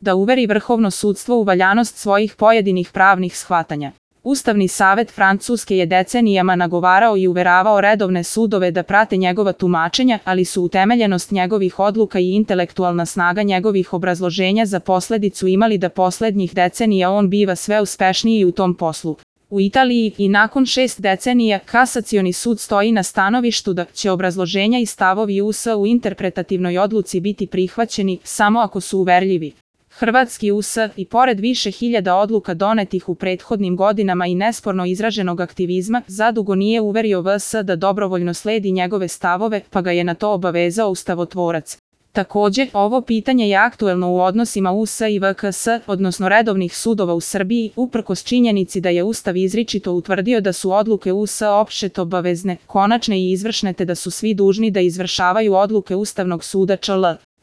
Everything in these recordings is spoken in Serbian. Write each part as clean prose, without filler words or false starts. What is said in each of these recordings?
da uveri vrhovno sudstvo u valjanost svojih pojedinih pravnih shvatanja. Ustavni savet Francuske je decenijama nagovarao i uveravao redovne sudove da prate njegova tumačenja, ali su utemeljenost njegovih odluka i intelektualna snaga njegovih obrazloženja za posledicu imali da poslednjih decenija on biva sve uspešniji u tom poslu. U Italiji i nakon 6 decenija Kasacioni sud stoji na stanovištu da će obrazloženja i stavovi US u interpretativnoj odluci biti prihvaćeni samo ako su uverljivi. Hrvatski US, i pored više hiljada odluka donetih u prethodnim godinama i nesporno izraženog aktivizma, zadugo nije uverio VS da dobrovoljno sledi njegove stavove, pa ga je na to obavezao ustavotvorac. Takođe, ovo pitanje je aktuelno u odnosima US i VKS, odnosno redovnih sudova u Srbiji, uprkos činjenici da je Ustav izričito utvrdio da su odluke US opštet obavezne, konačne i izvršne te da su svi dužni da izvršavaju odluke Ustavnog suda čl.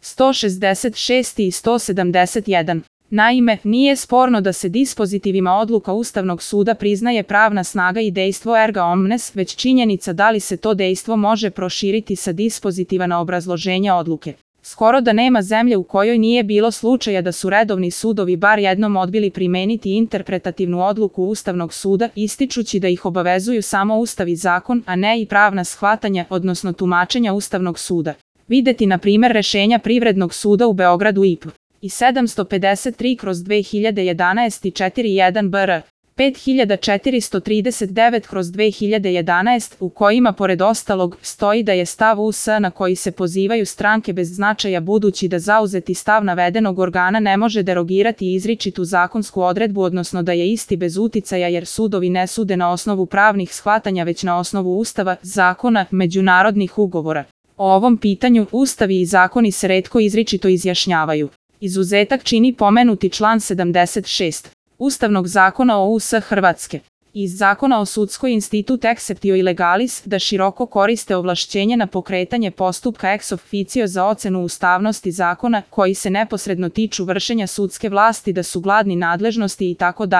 166 i 171. Naime, nije sporno da se dispozitivima odluka Ustavnog suda priznaje pravna snaga i dejstvo erga omnes, već činjenica da li se to dejstvo može proširiti sa dispozitiva na obrazloženja odluke. Skoro da nema zemlje u kojoj nije bilo slučaja da su redovni sudovi bar jednom odbili primeniti interpretativnu odluku Ustavnog suda, ističući da ih obavezuju samo Ustav i zakon, a ne i pravna shvatanja, odnosno tumačenja Ustavnog suda. Videti na primer rešenja Privrednog suda u Beogradu IP i 753/2011 i 41 BR 5439/2011 u kojima pored ostalog stoji da je stav US na koji se pozivaju stranke bez značaja budući da zauzeti stav navedenog organa ne može derogirati izričitu zakonsku odredbu, odnosno da je isti bez uticaja jer sudovi ne sude na osnovu pravnih shvatanja već na osnovu Ustava, zakona, međunarodnih ugovora. O ovom pitanju Ustavi i zakoni se retko izričito izjašnjavaju. Izuzetak čini pomenuti član 76. Ustavnog zakona o US Hrvatske. Iz zakona o sudskoj institut exceptio illegalis da široko koriste ovlašćenje na pokretanje postupka ex officio za ocenu ustavnosti zakona koji se neposredno tiču vršenja sudske vlasti da su gladni nadležnosti itd.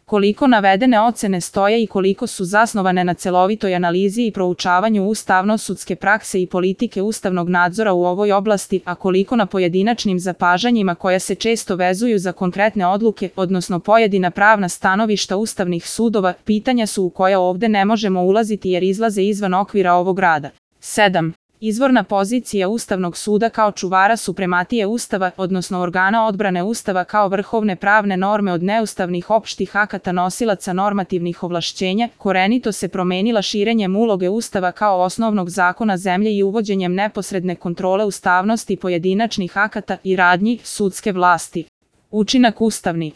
Koliko navedene ocene stoje i koliko su zasnovane na celovitoj analizi i proučavanju ustavno-sudske prakse i politike ustavnog nadzora u ovoj oblasti, a koliko na pojedinačnim zapažanjima koja se često vezuju za konkretne odluke, odnosno pojedina pravna stanovišta ustavnih sudova, pitanja su u koja ovde ne možemo ulaziti jer izlaze izvan okvira ovog rada. 7. Izvorna pozicija Ustavnog suda kao čuvara suprematije Ustava, odnosno organa odbrane Ustava kao vrhovne pravne norme od neustavnih opštih akata nosilaca normativnih ovlašćenja, korenito se promenila širenjem uloge Ustava kao osnovnog zakona zemlje i uvođenjem neposredne kontrole ustavnosti pojedinačnih akata i radnji sudske vlasti. Učinak ustavni.